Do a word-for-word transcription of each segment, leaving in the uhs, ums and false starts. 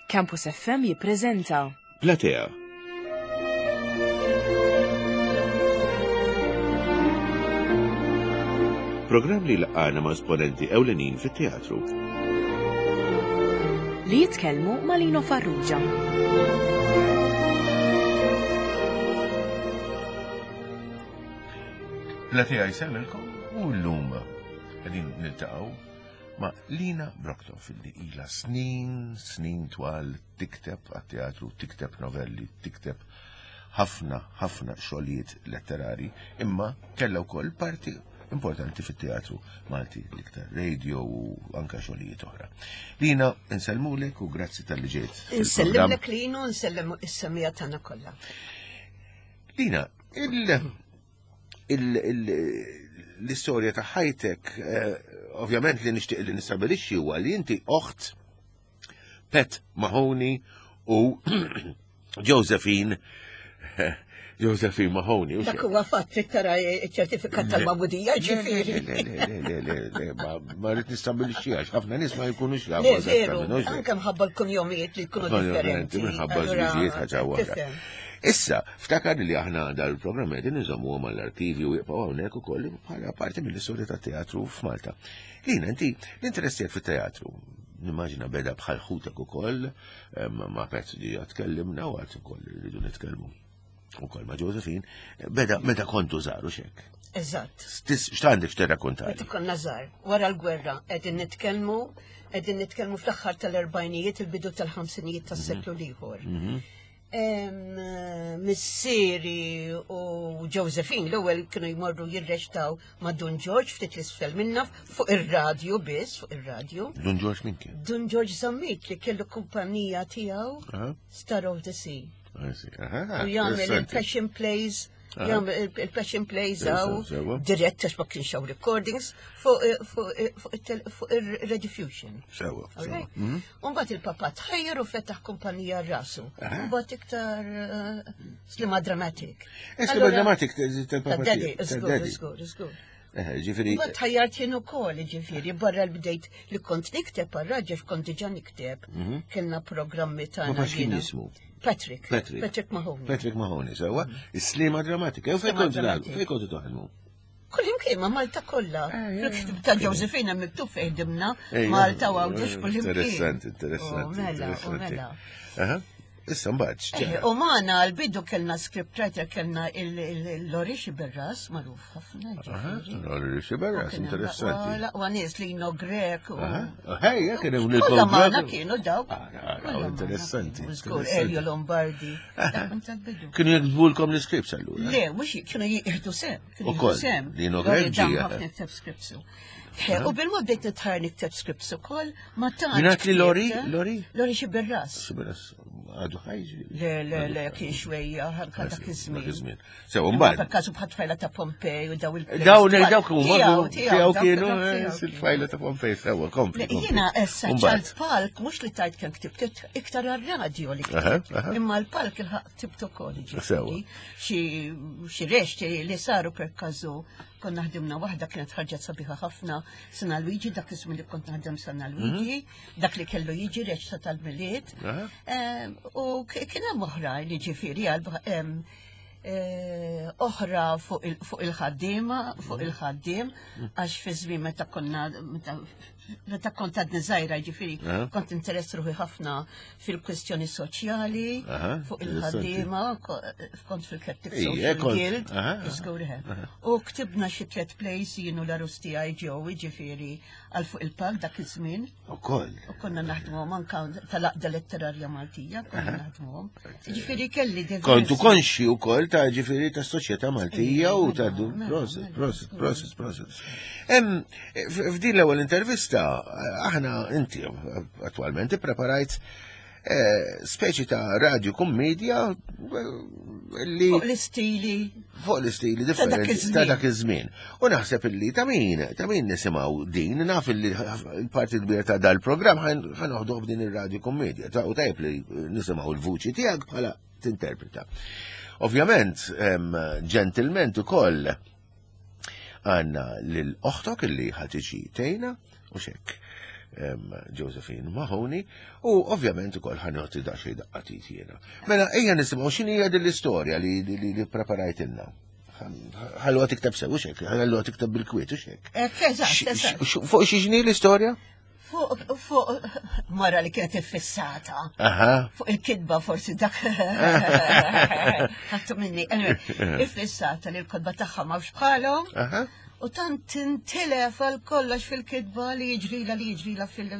Campus F M jippreżenta Platea. Programm li laqgħana ma' esponenti ewlenin fit-teatru. Li jitkellmu ma' Lino Farrugia. Platea jsellmilkom u llum qegħdin niltaqgħu ma' Lina Brockdorff li ilha snin, snin twal tikteb għat-teatru, tikteb novelli, tikteb ħafna, ħafna xogħlijiet letterari, imma kellha wkoll parti importanti fit-teatru Malti, l-iktar radio u anka xogħlijiet oħra. Lina, insellmulek u grazzi tal-li ġejt fil-programm. Insellimlek Lino, nsellem is-semija tagħna kollha. Lina, il-, il-, il-, l-istorja ta' ħajtek, eh, ovvjament li nixtieq li nistabilixxi huwa li inti oħt Pat Mahoney u Josephine, Josephine Mahoney, u Dak xejn. huwa fatt li tara ċ-ċertifikat tal-magħmudija, Le, le, ġifieri. le, le, le, le, le, ma, ma rrid nistabbilixxi għax ħafna nies ma jkunux jafu Le, eżattament, veru, u xejn. anke mħabba l-kunjomijiet li jkunu Kunjomijiet, differenti. minħabba Allura, żwiġijiet ħaġa waħda. tifhem. Issa, ftakar li aħna dal-programm qegħdin inżommuhom għall-arkivju u jibqgħu hawnhekk ukoll bħala parti mill-istorja tat-teatru f'Malta. Lina, inti l-interess tiegħek fit-teatru, nimmaġina beda bħal ħutek ukoll, em, ma' Pezz li tkellimna u għad ukoll rridu nitkellmu ukoll ma' Josephine, beda meta kontu żgħar u x'hekk. Eżatt. Stis, x'għandek x'tirrakkontali? Meta konna żgħar, wara l-gwerra, qegħdin nitkellmu, qegħdin nitkellmu fl-aħħar tal-erbgħinijiet, il-bidu tal-ħamsinijiet tas-seklu l-ieħor. Mhm. Em, missieri u Josephine l-ewwel kienu jmorru jirreċtaw ma' Dun George ftit l-isfel minna fuq ir-radju biss, fuq ir-radju. Dun George min kien? Dun George Zammit li kellu kumpanija tiegħu Aha. Star of the Sea. I see. Aha, U jagħmel interessanti. il-Passion Plays, Aha. jagħmel il-, il-Passion Plays Sewa, hawn sewa. dirett għax ma kienx hawn recordings fuq, fuq, fuq il-tel-, fuq ir-Rediffusion. Sewa, All sewa. right? Mhm. U mbagħad il-papa tħajjar u fetaħ kumpanija rasu. Aha. U mbagħad iktar, eh, Sliema Dramatic. Eh, Sliema Allura, Dramatic ta' tal-papa ta' daddy, tiegħek, ta' żgur, daddy. żgur, żgur. Eh, ġifieri Mbagħad tħajjart jien ukoll, ġifieri, barra l-bdejt li kont nikteb għar-raġel, kont diġà nikteb. Mhm. Kellna programmi tagħna Ma pax kien jiena. jismu? Patrick. Patrick. Patrick Mahoney. Patrick Mahoney, sewa. Is-Sliema Drammatika. U fejn Sliema kontu taħdmu? Dramatic. Fejn kontu taħdmu? Kull imkien ma' Malta kollha. Eh, eh, Fil-ktib ta' Josephine hemm miktub fejn ħdimna, Eh, Malta u Għawdex kull imkien. Interessanti, interessanti, U mela, u interessanti. mela. Aha. Issa mbagħad x'ġara? Eh, u magħna l-bidu kellna scriptwriter, kellna il-, il-, il-Lori Xiberras, magħruf ħafna, Aha, ġifieri. Lori Xiberras, U kien hemm interessanti. laqwa, laqwa nies li jino Grek u Aha. Ħej, jekk kien hemm Kollha Niko magħna Grek. kienu dawk. Ah, ah, Kollha magħna interessanti, kienu. Żgur, interessanti. Elio Lombardi. Dak kont tal-bidu. Kienu jiktbulkom l-scripts allura? Le, mhux j-, kienu jieħdu sem, kienu Ukoll, jieħdu sem. Lino Lori Grek dam ġie. ħafna jikteb scripts. Eh, u bil-mod bdejt nitħar nikteb scripts ukoll, ma tantx Mingħand li Lori? ktibt, eh? Lori? Lori Xiberras. Xiberras, għadu ħaj? Le, le, le, kien xwejja, ħanka dak iż-żmien. Dak iż-żmien. Sew, Imma mbagħad. per każu bħat tfajla ta' Pompej u daw il-plays. Dawn, eh, dawk huma, Tiegħu, tiegħu tiegħu, dawk kienu, dawk eh, tiegħu il-tfajla ta' Pompej, sewa, kompli, Le, kompli. jiena issa Mbagħad. ċal palk, mhux li tajt kemm ktibt, iktar għar-radio li Aha, ktibt. aha. Imma l-palk il-ħaq ktibt ukoll, ġifieri. Sewa. Xi, xi rexti li saru per każu, konna ħdimna waħda kienet ħarġet sabiħa ħafna, Sena Luigi, dak iż-żmien li kont naħdem Sena Luigi, Mhm. dak li kellu jiġi reċta tal-Milied. Aha. Ehm, u k-, kien hemm oħrajn li ġifieri għal, ehm, eh, oħra fuq il-, fuq il-ħaddiema, fuq Mhm. il-ħaddiem, għax fi żmien meta konna, meta, meta kont għadni żgħira, ġifieri, Aha. kont interess ruħi ħafna fil-kwestjoni soċjali, Aha, fuq interessanti. il-ħaddiema, ko-, kont fil-Celtic Ija, Social kont- Guild, aha, aha. żgur eħe. U ktibna xi tliet plays jien u l-arus tiegħi ġew, ġifieri, għal fuq il-palk dak iż-żmien. Ukoll. U konna naħdmuhom anka tal-Għaqda Letterarja Maltija, konna naħdmuhom. Ġifieri kelli diversi. Kontu konxi wkoll ta' ġifieri ta' soċjetà Maltija u ta' Mela, du- mela, proset, mela, proset, żgur. proset, proset. Em, f-, f'din l-ewwel intervista, aħna inti attwalment ippreparajt, eh, speċi ta' radio kummedja, eh, li Fuq l-istili. Fuq l-istili Ta' dak differenti iż-żmien. ta' dak iż-żmien. U naħseb illi ta' min, ta' min nisimgħu din, naf illi l-parti kbira ta' dal-programm ħan-, ħanoħduh b'din ir-radio kummedja. Ta' u tajjeb li nisimgħu l-vuċi tiegħek bħala tinterpreta. Ovvjament, em, ġentilment ukoll għandna lil oħtok illi ħa tiġi tgħinna u xek. Josephine Mahoney u ovvjament ukoll ħa nagħti daqsxejn daqqa t'id jiena. Mela ejja nisimgħu x'inhi hija din l-istorja li li li preparajtilna. Ħalluha tikteb sew u xek, ħalluha tikteb bil-kwiet u xek. Eżatt, Fuq xi l-istorja? Fuq, fuq, mara li kienet iffissata. Aha. Fuq il-kitba forsi dak. Ħattu minni. Anyway, iffissata li l-kotba tagħha m'hawnx bħalhom. Aha. U tant tintilef għal kollox fil-kitba li jiġrila li jiġrila fil-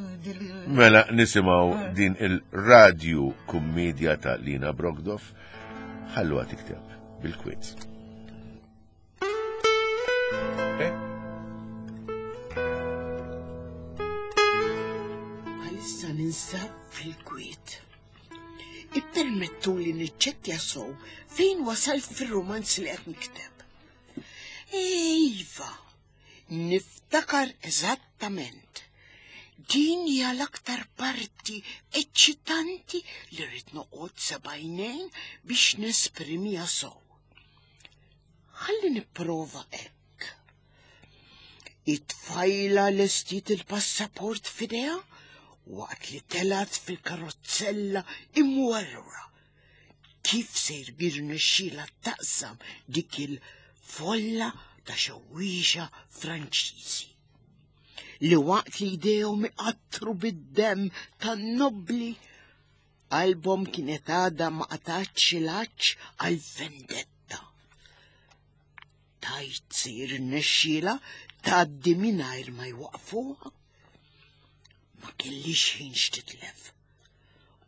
Mela nisimgħu din il-radju kummedja ta' Lina Brockdorff ħalluha tikteb bil-kwiet. Eh? Għalissa ninsab fil-kwiet. Ippermettu li niċċekkja sow fejn wasal fil-romanz li qed nikteb. Iva, niftakar eżattament. Din hija l-aktar parti eċċitanti li rrid noqgħod sebgħinejn biex nesprimiha sow. Ħalli nipprova hekk. It-tfajla lestiet il-passaport f'idejha waqt li telat fil-karozzella imwerwra. Kif se jirnexxielha taqsam dik il-folla ta' xewwiexa Franċiżi li waqt li jdejhom iqattru bid-demm tan-nobbli qalbhom kienet għadha ma qatgħatx il-għatx għal vendetta. Tajt se jirnexxielha tgħaddi mingħajr ma jwaqfuha. Ma kellix ħin x'titlef.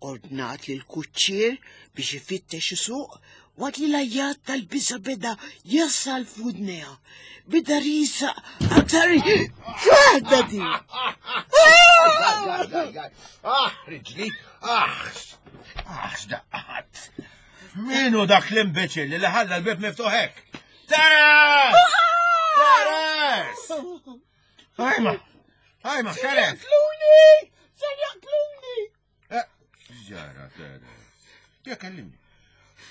Ordnat lil kuċċier biex ifittex isuq waqt li l-għajjat tal-biża beda jasal f'widnejha. Beda riesaq aktar x'waħda di. Ah, riġli, ah, ah, x'daqqat. Minu dak l-imbeċil li ħalla l-bib miftuħ hekk? Teres! Teres! Ajma, ajma, Teres! Jaqtluni! Ser jaqtluni! Ġara, Teres. Ja, kellimni.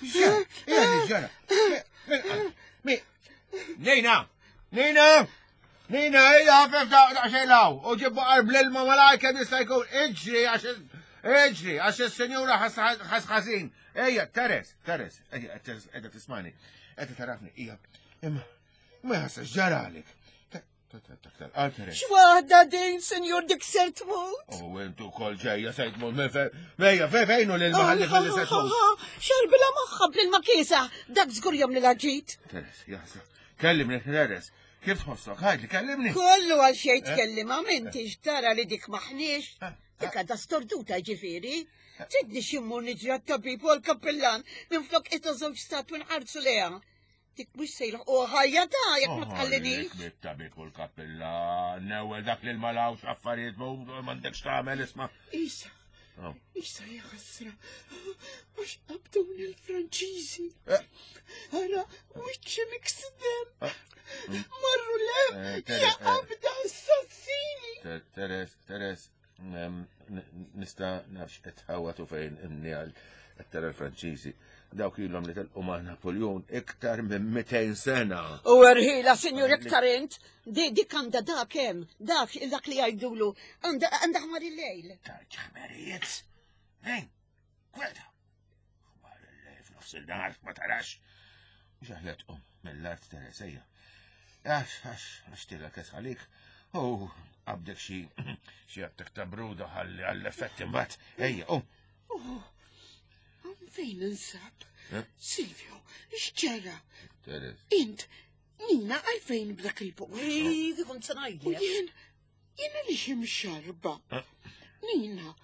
Ġara, ija, ġara. Mi, Nina, Nina, Nina, ejja, ħafef daqsxejn law. U ġibbu qarb l-ilma malajr kemm jista' jkun. Iġri, għax iġri, għax is-senjura ħas ħażin. Ejja, Teres, Teres, ejja, qiegħda tismani. Qiegħda tarafni, ija. Imma, ma ħassa ġaralik. X'waħda din, senjur, dik ser tmut? U intu kol ġejja se tmut minn fejn. Ejja, fejn fejnu lil maħalli fil se tmut. Xerbila moħħa bl-ilma kiesa, dak żgur jom li laġit. Teres, jaħsa. Kellimni, Teres. Kif tħossok? Ħajdli, kellimni. Kollu għal xejn tkellima, m'intix tara li dik maħniex. Dik għadha storduta ġifieri. Tridni ximmur niġri għat-tabib u għall-kappellan minflok qisna żewġ statwi nħarsu lejha. Dik mhux se jilħqu ħajja ta' jekk ma tħallinix. Bit-tabib u l-kappellan, ewwel dak li l-malawx affarijiet m'għandekx tagħmel isma'. Isa, isa ja ħasra, għax qabduni l-Franċiżi. Ara, wiċċi miksidem. Marru lem, ja qabda assassini. Teres, Teres, nista' nafx qed ħawatu fejn imni għal qed tara l-Franċiżi. Dawk ilhom li telqu ma' Napoleon iktar minn mitejn sena. U erħila, sinjur, iktar int. Di dik għandha dak hemm, dak dak li jgħidulu, għandha għandha ħmar il-lejl. Ħmerijiet. Ejn, kweta. Ħmar il-lejl f'nofs il-nar ma tarax. Mhux aħjar tqum mill-art Teres, ejja. Għax, għax, għax tilha kes għalik. U qabdek xi xi attak ta' bruda ħalli għall-effett imbagħad. Ejja, qum. Fejn insab? Silvio, x'ġara? Teres. Int, Nina, għalfejn b'dak il-post? Ej, kont se U ngħidlek. jien, jien għaliex imxarba. Nina,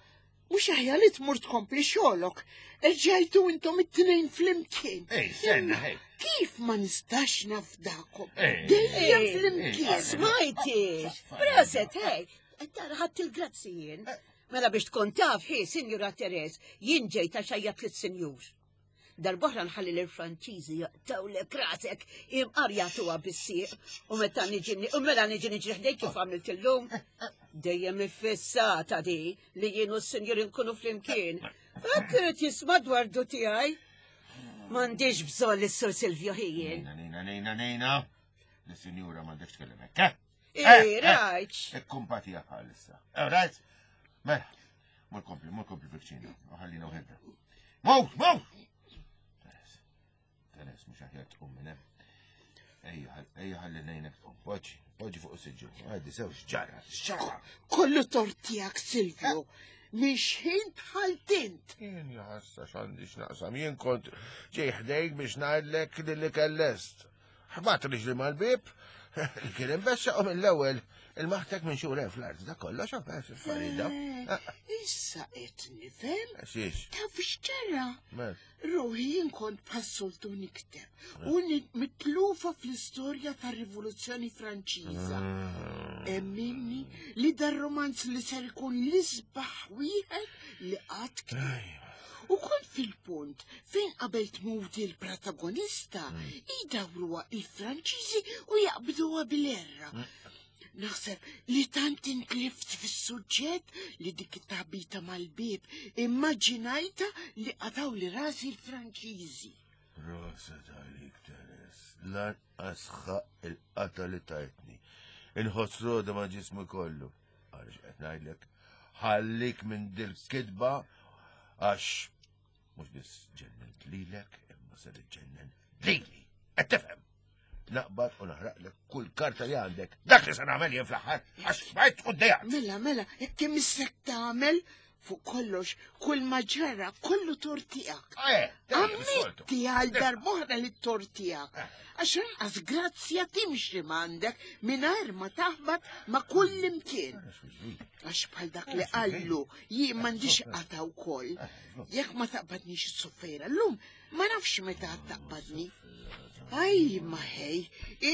mhux aħjar li tmur tkompli xogħolok. Erġajtu intom it-tnejn flimkien. Ej, senna, ej. Kif ma nistax nafdakom? Ej. Dejjem Ej, flimkien. Smajtix, proset, hej, tara ħadd il-grazzi jien. Mela biex tkun taf, hi, Sinjura Teres, jien ġejt għax għajjat lis-sinjur. Darb'oħra nħalli l-Franċiżi jaqtawlek rasek imqar jagħtuha bis-sieq u meta niġi u mela niġi niġri ħdejk kif għamilt illum. Dejjem iffissata di li jien u s-sinjur inkunu flimkien. Hekk irid jisma' dwardu tiegħi. M'għandix bżonn lis-Sur Silvio ħijien. Nina, Nina, Nina, Nina. Lis-sinjura m'għandekx tkellem hekk, eh? Eh, rajt. Ikkumpatija bħalissa. Eh, rajt? Mela, mur kompli, mur kompli fil-kċina, ħallina uħedna. Mur, mur! Teres, Teres, mux aħjar tqum minn hemm. Ejja, ejja ħalli ngħinek tqum. Poġġi, poġġi fuq is-siġġu. Għaddi sew x'ġara, x'ġara. Kollu tort tiegħek, Silvio. Minn xħin dħalt int. Jien jaħassa x'għandi x'naqsam, jien kont ġej ħdejk biex ngħidlek li li kellest. Ħbat riġli mal-bib, li kien imbessa u mill-ewwel il-maħtek minn xura fl-art, da kollox għaf Farida. Eh, Issa qed nifhem. Xiex, Taf x'ġara? mel. Ruħi jien kont bħas-soltu nikteb u ni- mitlufa fl-istorja tar-Rivoluzzjoni Franċiża. Emminni li dar romanz li ser ikun l-isbaħ wieħed li qatt ktibt. U kont fil-punt fejn qabel tmut il-protagonista idawruha il-Franċiżi u jaqbduha bil-erra. Naħseb li tant intlift fis-suġġett li dik it-taħbita mal-bib immaġinajta li qataw li rasi l-Franċiżi. Rosa talik, Teres, lanqas ħaq il-qata li tajtni. Inħoss roda ma' ġismu kollu. Għaliex qed ngħidlek, ħallik minn dil-kidba għax mhux biss ġennent lilek, imma se ġennen lili. Qed tifhem? Naqbad u naħraqlek kull karta li għandek. Dak li se nagħmel jien fl-aħħar għax xbajt u ddejjaqt. Mela, mela, hekk imissek tagħmel fuq kollox, kull ma ġara, kollu tort tiegħek. Eh, dejjem is-soltu. Ammetti għal darb'oħra li t-tort tiegħek. Għax anqas grazzja timxi m'għandek mingħajr ma taħbat ma' kull imkien. Għax bħal dak li qallu jien m'għandix qata wkoll. Jekk ma taqbadnix is-suffejra llum, ma nafx meta taqbadni. Aj, ma ħej,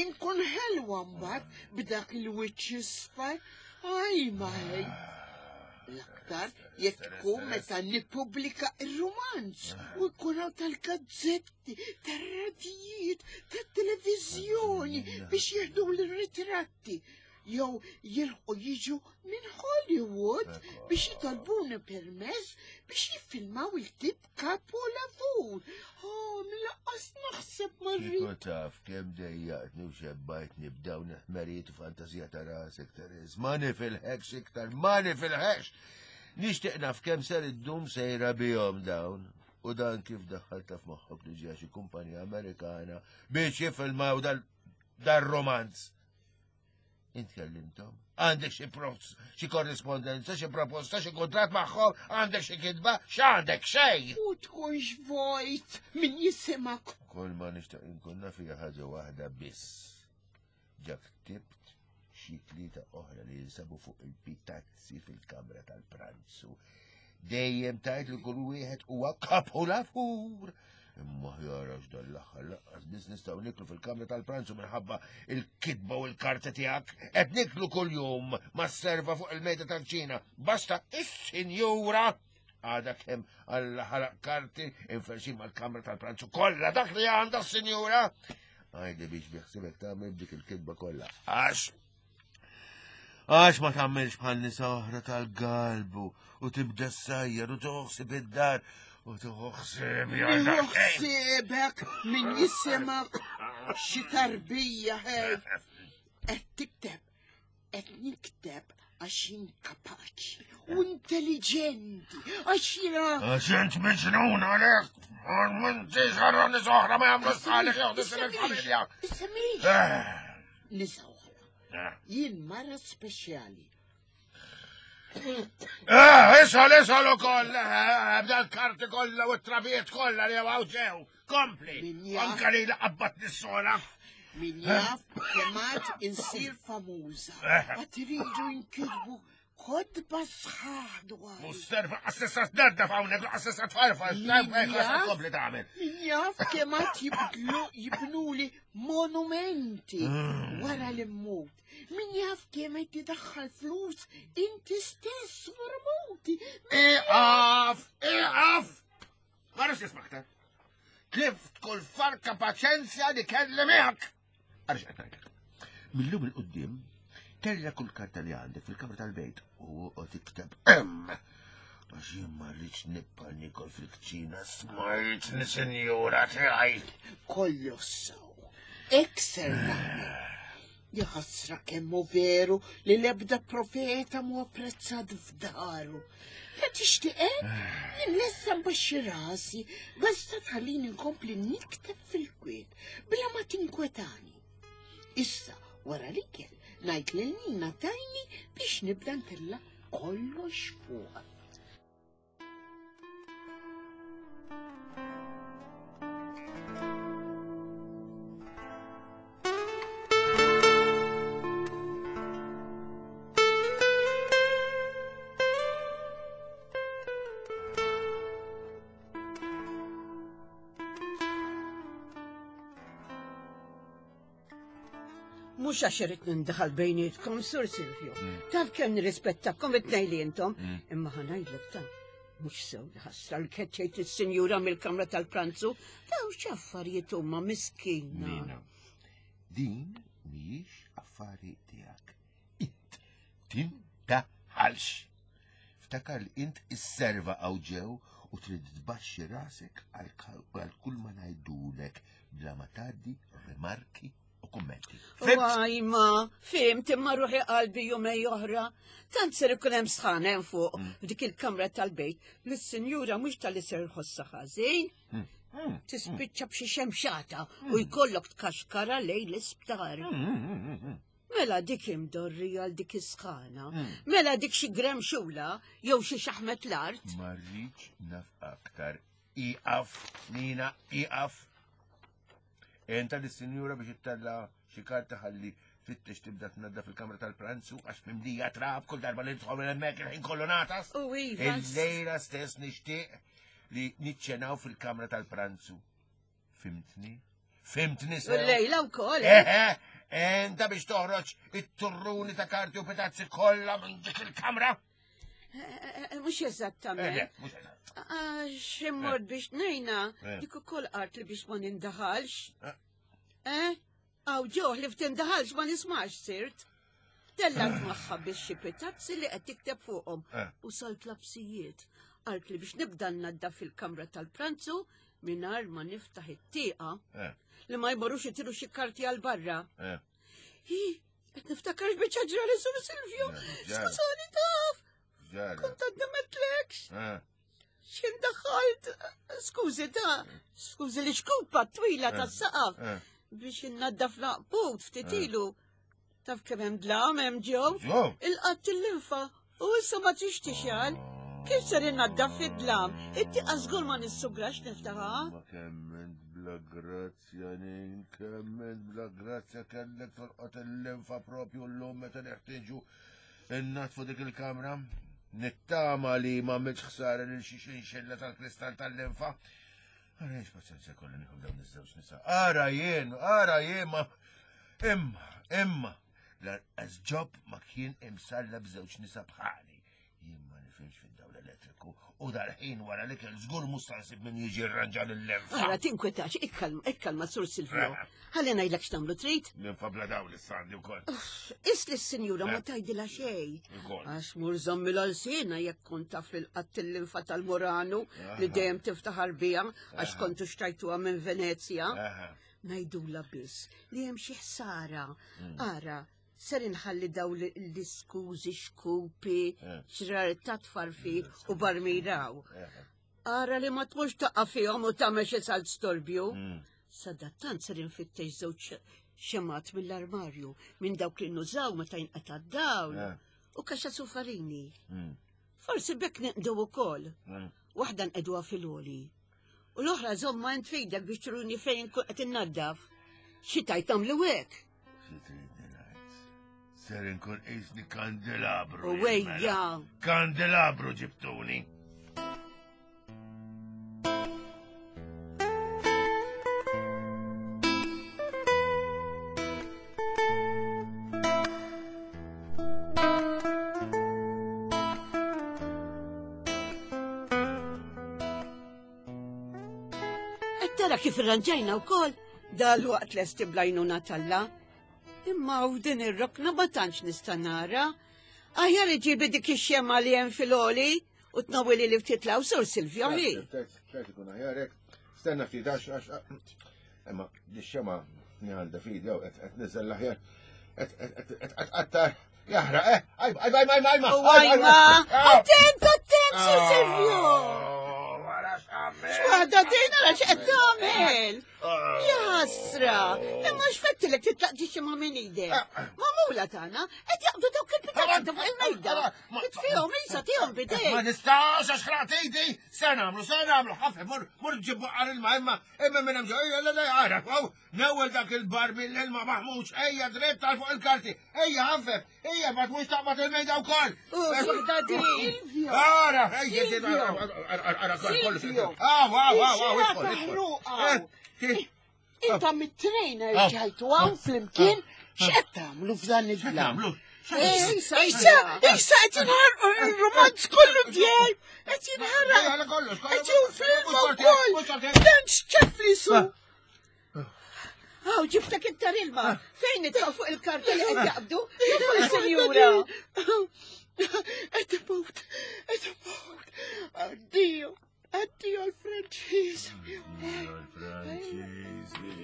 inkun ħelwa mbagħad b'dak il-wiċċ isfar. Aj, ma ħej. L-aktar jekk ikun meta nippubblika ir-romanz u jkun hawn tal-gazzetti, tar-radijiet, tat-televiżjoni biex jieħdu l-ritratti. Jew jilħqu jiġu minn Hollywood biex jitolbuni permess biex jiffilmaw il-tip kapolavur. Oh, mill-laqqas naħseb marri. Kieku taf kemm dejjaqtni u xebbajtni b'dawn il-ħmerijiet u fantazija ta' rasek, Teres. Ma nifilħekx iktar, ma nifilħekx! Nixtieq naf kemm ser iddum sejra bihom dawn. U dan kif daħħalta f'moħħok li ġie xi kumpanija Amerikana biex jiffilmaw dal dar-romanz. Int kellimthom? Għandek xi pros- xi korrispondenza, xi proposta, xi kuntratt magħhom, għandek xi kitba, x'għandek xejn! U tkunx vojt min jisimak. Kull ma nixtaq inkun naf hija ħaġa waħda biss. Ġa ktibt xi tlieta oħra li jinsabu fuq il-pitazzi fil-kamra tal-pranzu. Dejjem tajt li kull wieħed huwa kapolavur. Imma ħjar għax dan l-aħħar lanqas biss nistgħu niklu fil-kamra tal-pranzu minħabba il-kitba u l-karta tiegħek. Qed niklu kuljum mas-serva fuq il-mejda tal-ċina. Basta is-sinjura għada kemm għalla ħaraq karti inferxin mal-kamra tal-pranzu kollha dak li għandha s-sinjura. Għajdi biex biħsibek tagħmel dik il-kitba kollha. Għax Għax ma tagħmilx bħal nisa oħra tal-galbu u tibda ssajjar u toħsib id-dar u toħsib ja daqsxejn. Ħsiebek min jisimak xi tarbija ħej. Qed tikteb, qed nikteb għax jien kapaċi u intelligenti, għax jiena Għax int miġnun għalek, m'intix għarra nisa oħra ma jagħmlu sħalek jew il-familja. Issemix Eh, nisa oħra. eh. Jien mara speċjali. Eh, isol, isol u koll, eh, bda l-karti kollha u t-trabijiet kollha li għaw ġew. Kompli, Min jaf. anka li laqabbat nis-sola. Min jaf kemm għad insir famuża. Għad iridu jinkitbu kotba sħaħ dwar. Musterfa, assessa t-nerda f'hawnhekk, assessa tfarfar, Min jaf? kompli tagħmel. Min jaf kemm għad jibdlu jibnuli monumenti wara li mmut. Min jaf kemm qed tidaħħal flus inti stess wara mewti. Iqaf, iqaf! Ma rridx nisma' aktar. Tlift kull farka paċenzja li kelli miegħek. Għarx qed ngħidlek. Millum il-qudiem tella kull karta li għandek fil-kamra tal-bejt u oqgħod ikteb hemm. Għax jien ma rridx nibqa' nikol fil-kċina smajtni sinjura tiegħi. Kollu sew. Ekser nagħmel. Jaħasra kemm hu veru li l-ebda profeta mu apprezzat f'daru. La tixtieq hekk? Jien lesta nbaxxi rasi, basta tħallini nkompli nikteb fil-kwiet bla ma tinkwetani. Issa, wara l-ikel, ngħid lil Nina tajni biex nibda ntella' kollox fuq. Mhux għax irid nindaħal bejnietkom, Sur Silvio. Taf kemm nirrispettakom it-tnejn li intom, imma ħa ngħidlek ta' mhux sew li ħassra l-keċċejt is-sinjura mill-kamra tal-pranzu, daw x'affarijiet huma miskina. Nina, din mhijiex affari tiegħek. Int tindaħalx. Ftakar li int isserva hawn ġew u trid tbaxxi rasek għal kull ma ngħidulek bla ma tgħaddi rimarki u kummenti. Wajma, fimt imma ruħi qalbi jumej oħra. Tant ser ikun hemm sħan hemm fuq f'dik il-kamra tal-bejt li s-sinjura mhux tal-li ser ħossa ħażin. Tispiċċa b'xi xemxata u jkollok tkaxkara lejn l-isptar. Mela dik imdorri għal dik is-sħana. Mela dik xi gremxula jew xi xaħmet l-art. Ma rridx naf aktar. Iqaf, Nina, iqaf. Enta lis-sinjura biex ittella xi karta ħalli fittex tibda tnaddaf il-kamra tal-pranzu għax mimlija trab kull darba li nidħol minn hemmhekk il-ħin kollu natas. U iva. Il-lejla stess nixtieq li niċċenaw fil-kamra tal-pranzu. Fimtni? Fimtni U sew? l-lejla wkoll. Eħe, enta biex toħroġ it-turruni ta' karti u pitazzi kollha minn dik il-kamra. Mhux eżattament. Eh, mhux eżatt. Għax immort biex nejna, Eh. dik ukoll qart li biex ma nindaħalx. Eh. Eh? Aw ġoħ li ftindaħalx ma nismax sirt. Tellat magħha biex xi pitazzi li qed tikteb fuqhom Eh. u salt lapsijiet. Qalt li biex nibda nnaddaf fil-kamra tal-pranzu mingħajr ma niftaħ it-tieqa Eh, li ma jmorrux itiru xi karti għal barra. eh. Hi, qed niftakar x'biċċa ġrali Sur Silvio. Eh, ġara. Skużani taf, Ġara. kont għadna metlekx. Eh, X'in daħalt? Skużi ta' skużi li xkupa twila tas-saqaf eh. biex innaddaf laqbut ftit ilu. Taf kemm hemm dlam hemm ġew? Ġew. Il-qatt il-linfa u issa ma trix tixgħal. Kif ser innaddaf fid-dlam? It-tieqa żgur ma nissugrax niftaħha. Ma kemm int bla grazzja nin, kemm int bla grazzja kellek tolqot il-linfa propju llum meta neħtieġu innatfu dik il-kamra. Nittama li ma għamilx ħsara lil xi xinxilla tal-kristall tal-linfa. Ara jiex paċenzja kollu nieħu dawn iż-żewġ nisa. Ara jien, ara jien ma imma, imma l-arqas ġob ma kien imsalla b'żewġ nisa bħali. Jien ma nifhimx fid-dawl elettriku u dal-ħin wara li kell żgur mhux se nsib min jiġi rranġa lill-linfa. Ara tinkwetax, ikkalma, ikkalma Sur Silvio. Ħalli ngħidlek x'tagħmlu trid. Linfa bla dawl issa għandi wkoll. Is li s-sinjura ma tgħidilha xejn. Ukoll. Għax mur żommi l-alsina jekk kont taf li l-qatt il-linfa tal-Muranu li dejjem tiftaħar biha għax kontu xtajtuha minn Venezja. Aha. Ngħidula biss li hemm xi ħsara. Ara, ser inħalli daw l- l-iskużi xkupi, Eh. xrar ta' tfarfir u barmiraw. Aha. Ara li ma tmux taqa' fihom u tagħmel xi salt storbju. Mm. Sadattant ser infittex żewġ xemat mill-armarju minn dawk li nużaw meta jinqata' d-dawl Eh. u kaxa sufarini. Mm. Forsi bekk neqdu ukoll. Mm. Waħda nqeduha fil-oli. U l-oħra żomma int fidek biex turuni fejn kun qed innaddaf. Xi tajt tagħmlu hekk? Xi tridni ngħid? Ser inkun qisni kandelabru. U jien, mela. wejja. Kandelabru ġibtuni. Qed tara kif irranġajna wkoll dal-waqt lesti blajnuna talla. Imma u din ir-rokna ma tantx nista' nara. Aħjar iġibi dik ix-xema li hemm fil-oli u tnawili li ftit law Sur Silvio hi. Tajt ikun aħjar hekk. Stenna ftit għax għax. Imma di xema li għandha fidi jew qed qed niżel l-aħjar. Qed jaħraq, eh? Ajma, ajma, ajma, ajma. Ajma! Attent, attent, Sir Silvio! X'waħda din ara x'qed tagħmel? Jasra, imma x'fettilek titlaq ġixi ma' minn idek. Magħmula tagħna qed jaqbdu dawk il-pitazzi fuq il-mejda. Itfihom isa tihom bidejk. Ma nistax għax ħraqt idi. Se nagħmlu, se nagħmlu, ħafna mur mur ġibu qar ilma imma imma minn hemm ġo, ejja la la ara, newwel dak il-barmil l-ilma maħmuġ, ejja dritt għal fuq il-karti, ejja ħaffef, ejja ma tmux taqbad il-mejda wkoll. Waħda din. Ara, ejja ara kollu. Ah, wow, wow, wow, idħol. Inta mit-trejn rġajtu hawn flimkien, x'qed tagħmlu f'dan il-dlam? Issa, Issa, issa qed jinħarqu il-romanz kollu tiegħi, qed jinħaraq. Qed jinfilma wkoll. Dan x'ċef li su. Aw, ġibtek iktar ilma. Fejn nitfa' fuq il-karta li qed jaqbdu? Jidħol sinjura. Qed imut, qed imut. Addio, addio l-Franċiż. Franċiżi.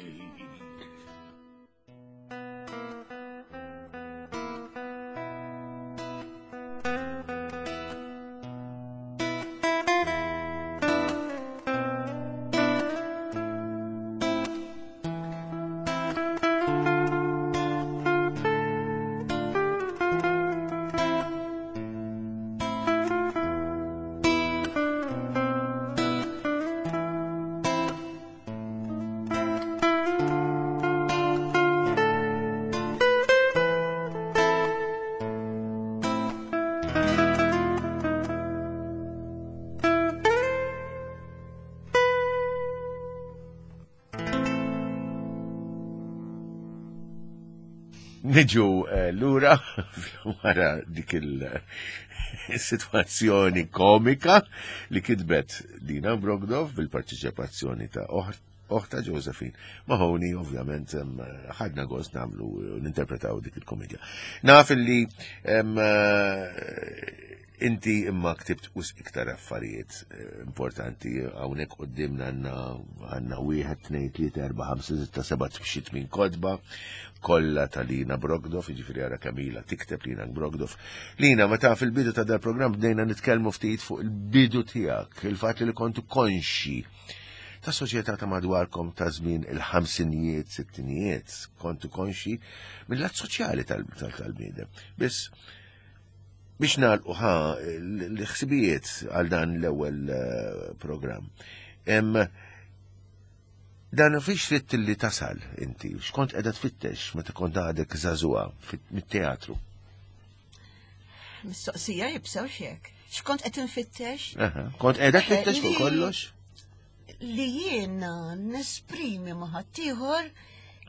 Niġu lura wara dik il-sitwazzjoni komika li kitbet Lina Brockdorff bil-parteċipazzjoni ta' oħta Josephine Mahoney, ovvjament ħadna gost nagħmlu ninterpretaw dik il-komedja. Naf li inti imma ktibt wisq iktar affarijiet importanti hawnhekk quddiemna għandna għandna wieħed, tnejn, tlieta, erba' ħamsa, sitta, seba' xi tmien kotba kollha ta' Lina Brockdorff, jiġifieri ara kemm ilha tikteb Lina Brockdorff. Lina, meta fil-bidu ta' dal-programm bdejna nitkellmu ftit fuq il-bidu tiegħek, il-fatt li kontu konxi ta' soċjetà ta' madwarkom ta' żmien il-ħamsinijiet, sittinijiet, kontu konxi mill-lat soċjali tal-bniedem. Biss biex nagħlqu ħa l-ħsibijiet għal dan l-ewwel programm. Dan fiex trid li tasal inti, x'kont qiegħda tfittex meta kont għadek żagħżugħa mit-teatru? Mistoqsija jibsew xek. X'kont qed infittex? Kont qiegħda tfittex fuq kollox? Li jiena nesprimi ma' ħaddieħor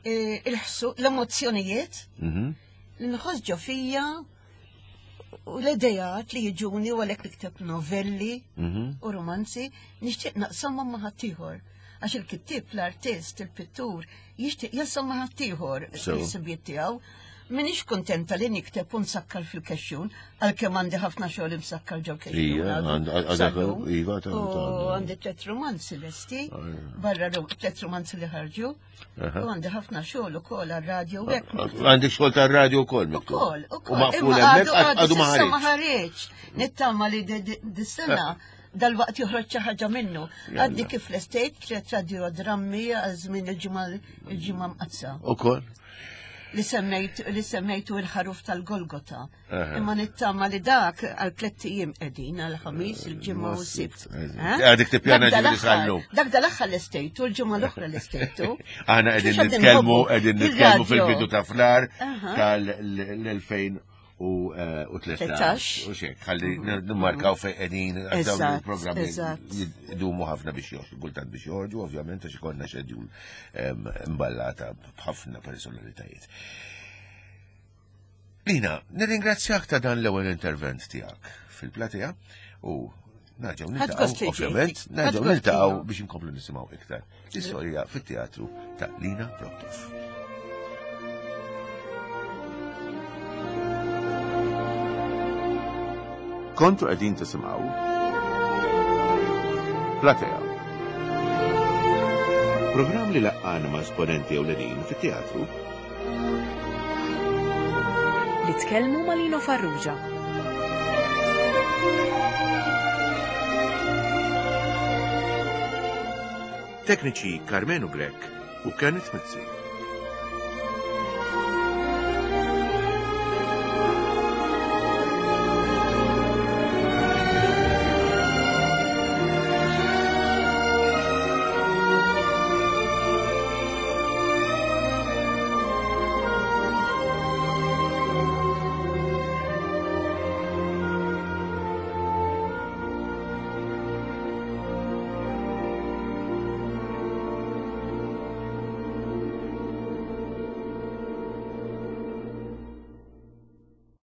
il-ħsu l-emozzjonijiet li nħoss ġo fija u l-idejat li jiġuni u għalhekk nikteb novelli u romanzi nixtieq naqsamhom ma' ħaddieħor. Għax il-kittieb, l-artist, il-pittur jixtieq jaqsam ma' ħaddieħor il-ħsibijiet tiegħu. Minix kontenta li nikteb u nsakkar fil-kexxun, għalkemm għandi ħafna xogħol imsakkar ġew kexxun. U għandi tliet romanzi lesti, barra tliet romanzi li ħarġu. U għandi ħafna xogħol ukoll għar-radju u hekk. Għandek xogħol tar-radju wkoll miktub. Ukoll, ukoll. U maqful hemmhekk għadu ma ħareġ. Ma ħareġ. Nittama li dis-sena dal-waqt joħroġ xi ħaġa minnu. Għaddi kif l-estate tliet radiodrammi għal żmien il-ġimgħa il-ġimgħa mqaddsa. Ukoll. Li semmejt li semmejtu il-ħaruf tal-Golgota. Imma nittama li dak għal tliet ijiem qegħdin għal ħamis, il-ġimgħa u s-sibt. Għadek tippjana ġifieri sal-lum. Dak dal-aħħar l-estejtu, l-ġimgħa l-oħra l-estejtu. Aħna qegħdin nitkellmu qegħdin nitkellmu fil-bidu ta' flar tal-elfejn u tlettax. U xek, ħalli nimmarkaw fejn qegħdin għal dawn il-programmi jdumu ħafna biex joħorġu, kultant biex joħorġu, ovvjament għax ikollna schedule imballata b'ħafna personalitajiet. Lina, nirringrazzjak ta' dan l-ewwel intervent tiegħek fil-platea u nerġgħu niltaqgħu, ovvjament, nerġgħu niltaqgħu biex inkomplu nisimgħu iktar l-istorja fit-teatru ta' Lina Brockdorff. Kontu qegħdin tisimgħu Platea. Programm li laqqana ma' esponenti ewlenin fit-teatru Li tkellmu ma' Lino Farrugia. Tekniċi Karmenu Grech u Kenneth Mizzi.